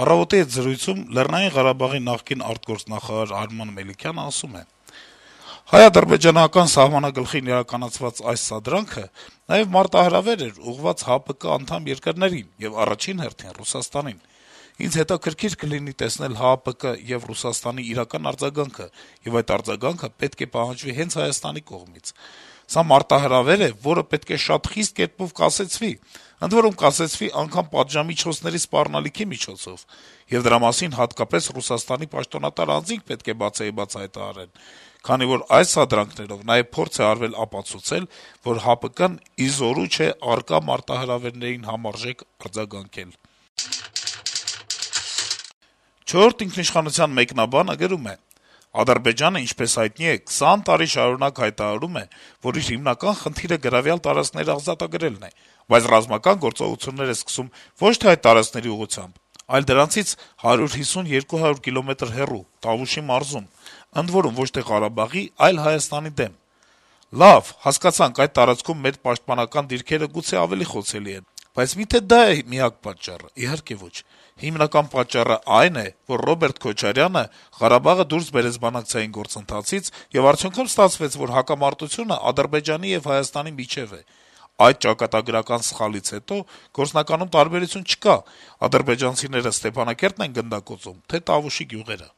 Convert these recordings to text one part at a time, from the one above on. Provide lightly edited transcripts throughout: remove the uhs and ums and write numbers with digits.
«Առավոտ»-ի հետ զրույցում Լեռնային Ղարաբաղի նախկին արտգործնախարար Արման Մելիքյանը ասում է. - «Հայ-ադրբեջանական սահմանագլխին իրականացված այս սադրանքը նաեւ մարտահրավեր էր ուղղված ՀԱՊԿ անդամ երկրներին եւ առաջին հերթին Ռուսաստանին: Ինձ հետաքրքիր կլինի տեսնել ՀԱՊԿ եւ Ռուսաստանի իրական արձագանքը, եւ այդ արձագանքը պետք է պահանջվի հենց Հայաստանի կողմից: Սա մարտահրավեր է, որը պետք է շատ խիստ կերպով կասեցվի, ընդ որում կասեցվի անգամ պատժամիջոցների սպառնալիքի միջոցով, եւ դրա մասին հատկապես Ռուսաստանի պաշտոնատար անձինք պետք է բացեիբաց հայտարարեն, քանի որ այս սադրանքներով նաեւ փորձ է արվել ապացուցել, որ ՀԱՊԿ-ն ի զորու չէ առկա մարտահրավերներին համարժեք արձագանքել»: «Չորրորդ ինքնիշխանության» մեկնաբանը գրում է. - «Ադրբեջանը, ինչպես հայտնի է, 20 տարի շարունակ հայտարարում է, որ իր հիմնական խնդիրը գրավյալ տարածքները ազատագրելն է, բայց ռազմական գործողություններ է սկսում ոչ թե այդ տարածքների ուղղությամբ, այլ դրանցից 150-200 կիլոմետր հեռու` Տավուշի մարզում, ընդ որում ոչ թե Ղարաբաղի, այլ Հայաստանի դեմ: Լավ, հասկացանք, այդ տարածքում մեր պաշտպանական դիրքերը գուցե ավելի խոցելի են, բայց մի՞թե դա է միակ պատճառը: Իհարկե ոչ: Հիմնական պատճառը այն է, որ Ռոբերտ Քոչարյանը Ղարաբաղը դուրս բերեց բանակցային գործընթացից, եւ արդյունքում ստացվեց, որ հակամարտությունը Ադրբեջանի եւ Հայաստանի միջեւ է: Այդ ճակատագրական սխալից հետո գործնականում տարբերություն չկա` ադրբեջանցիները Ստեփանակերտն են գնդակոծում, թե Տավուշի գյուղերը: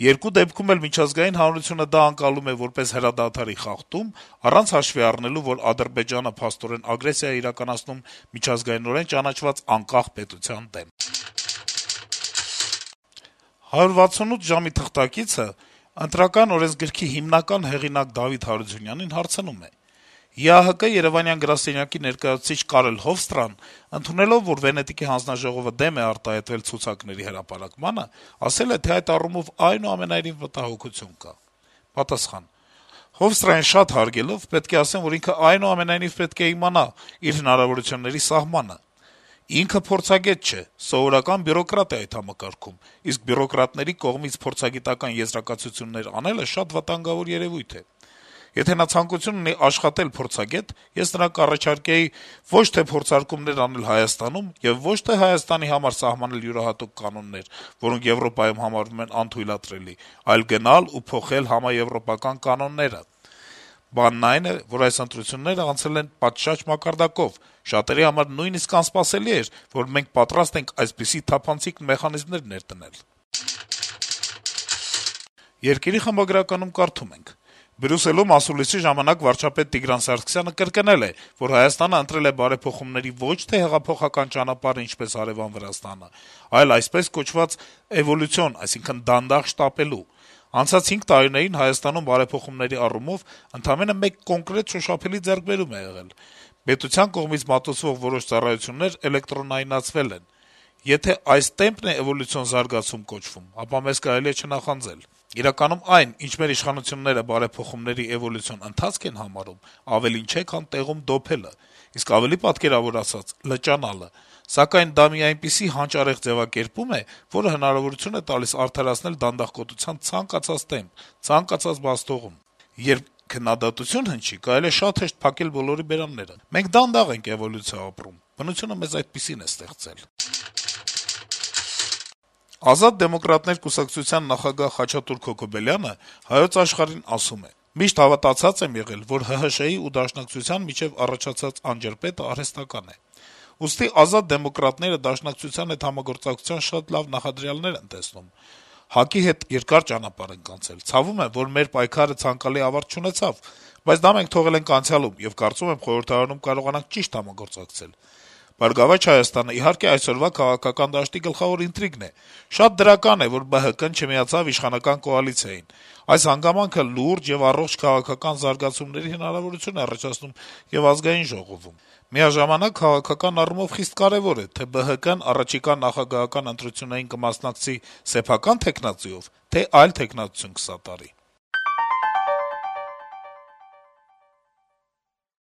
Երկու դեպքում էլ միջազգային հանրությունը դա ընկալում է որպես հրադադարի խախտում, առանց հաշվի առնելու, որ Ադրբեջանը փաստորեն ագրեսիա է իրականացնում միջազգայնորեն ճանաչված անկախ պետության դեմ»: «168 ժամ»-ի թղթակիցը Ընտրական օրենսգրքի հիմնական հեղինակ Դավիթ Հարությունյանին հարցնում է. - «ԵԱՀԿ Երեւանյան գրասենյակի ներկայացուցիչ Կարել Հովստրան, ընդունելով, որ Վենետիկի հանձնաժողովը դեմ է արտահայտվել ցուցակների հրապարակմանը, ասել է, թե այդ առումով այնուամենայնիվ մտահոգություն կա»: Պատասխան. - «Հովստրային շատ հարգելով` պետք է ասեմ, որ ինքը այնուամենայնիվ պետք է իմանա իր հնարավորությունների սահմանը: Ինքը փորձագետ չէ, սովորական բյուրոկրատ է այդ համակարգում, իսկ բյուրոկրատների կողմից փորձագիտական եզրակացություններ անելը շատ վտանգավոր երեւույթ է: Եթե նա ցանկություն ունի աշխատել փորձագետ, ես նրան կառաջարկեի ոչ թե փորձարկումներ անել Հայաստանում եւ ոչ թե Հայաստանի համար սահմանել յուրահատուկ կանոններ, որոնք Եվրոպայում համարվում են անթույլատրելի, այլ գնալ ու փոխել համաեվրոպական կանոնները: Բանն այն է, որ այս ընտրություններն անցել են պատշաճ մակարդակով, շատերի համար նույնիսկ անսպասելի էր, որ մենք պատրաստ ենք այսպիսի թափանցիկ մեխանիզմներ ներդնել»: «Երկիր»-ի խմբագրականում կարդում ենք. - «Բրյուսելում ասուլիսի ժամանակ վարչապետ Տիգրան Սարգսյանը կրկնել է, որ Հայաստանը ընտրել է բարեփոխումների ոչ թե հեղափոխական ճանապարհը, ինչպես հարեւան Վրաստանը, այլ այսպես կոչված էվոլյուցիոն, այսինքն դանդաղ շտապելու: Անցած 5 տարիներին Հայաստանում բարեփոխումների առումով ընդամենը մեկ կոնկրետ շոշափելի ձեռքբերում է եղել: Պետության կողմից մատուցվող որոշ ծառայություններ էլեկտրոնայնացվել են: Եթե այս տեմպն է էվոլյուցիոն զարգացում կոչվում, ապա մեզ կարելի է չնախանձել: Իրականում այն, ինչ մեր իշխանությունները բարեփոխումների էվոլյուցիոն ընթացք են համարում, ավելին չէ, քան տեղում դոփելը, իսկ ավելի պատկերավոր ասած` լճանալը: Սակայն դա մի այնպիսի հանճարեղ ձեւակերպում է, որը հնարավորություն է տալիս արդարացնել դանդաղկոտության ցանկացած տեմպ, ցանկացած բազթողում: Երբ քննադատություն հնչի, կարելի է շատ հեշտ փակել բոլորի բերանները: Մենք դանդաղ ենք էվոլյուցիա ապրում, բնությունը մեզ այդպիսին է ստեղծել»: «Ազատ դեմոկրատներ» կուսակցության նախագահ Խաչատուր Քոքոբելյանը «Հայոց Աշխարհ»-ին ասում է. - «Միշտ հավատացած եմ եղել, որ ՀՀՇ-ի ու Դաշնակցության միջեւ առաջացած անջրպետը արհեստական է: Ուստի Ազատ դեմոկրատները Դաշնակցության հետ համագործակցության շատ լավ նախադրյալներ են տեսնում: ՀԱԿ-ի հետ երկար ճանապարհ ենք անցել: Ցավում է, որ մեր պայքարը ցանկալի ավարտ չունեցավ, բայց դա մենք թողել ենք անցյալում, եւ կարծում եմ խորհրդարանում կարողանանք ճիշտ համագործակցել: «Բարգավաճ Հայաստանը», իհարկե, այսօրվա քաղաքական դաշտի գլխավոր ինտրիգն է: Շատ դրական է, որ ԲՀԿ-ն չմիացավ իշխանական կոալիցիային: Այս հանգամանքը լուրջ եւ առողջ քաղաքական զարգացումների հնարավորություն է առաջացնում եւ Ազգային ժողովում: Միաժամանակ քաղաքական առումով խիստ կարեւոր է, թե ԲՀԿ-ն առաջիկա նախագահական ընտրություններին կմասնակցի սեփական թեկնածուով, թե այլ թեկնածություն կսատարի»: